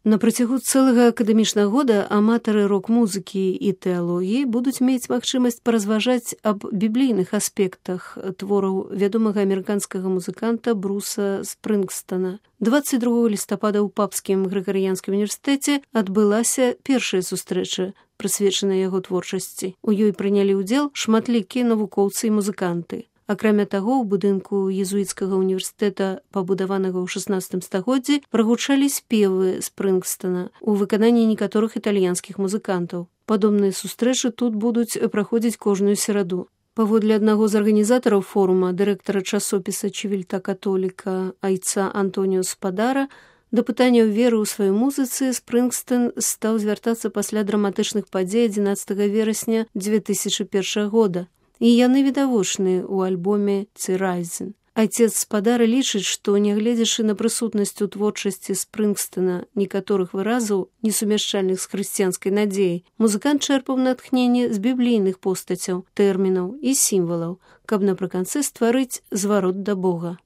На працягу цэлага акадэмічнага года аматары рок-музыкі і тэалогіі будуць мець магчымасць паразважаць аб біблійных аспектах твораў вядомага амерыканскага музыканта Бруса Спрынгстана. 22 лістапада ў Папскім грыгарыянскім універсітэце адбылася першая сустрэча, прысвечаная яго творчасці. У ёй прынялі ўдзел шматлікія навукоўцы і музыканты. Акрамя таго, у будынку езуіцкага універсітэта, пабудаванага ў 16 стагоддзі, прагучалі спевы Спрынгстана у выкананні некаторых італьянскіх музыкантаў. Падобныя сустрэчы тут будуць праходзіць кожную сераду. Паводле аднаго з арганізатараў форума, дырэктара часопіса «Чивільта католіка» айца Антоніо Спадара, да пытанняў веры ў сваёй музыцы Спрынгстэн стаў звяртацца пасля драматычных падзей 11 верасня 2001 года. І яны відавочныя ў альбоме «Цірайзен». Айцец Спадара лічыць, што, нягледзячы на прысутнасць у творчасці Спрынгстэна некаторых выразаў, несумяшчальных з хрысціянскай надзеяй, музыкант чэрпаў натхненне з біблійных постацяў, тэрмінаў і сімвалаў, каб напрыканцы стварыць зварот да Бога.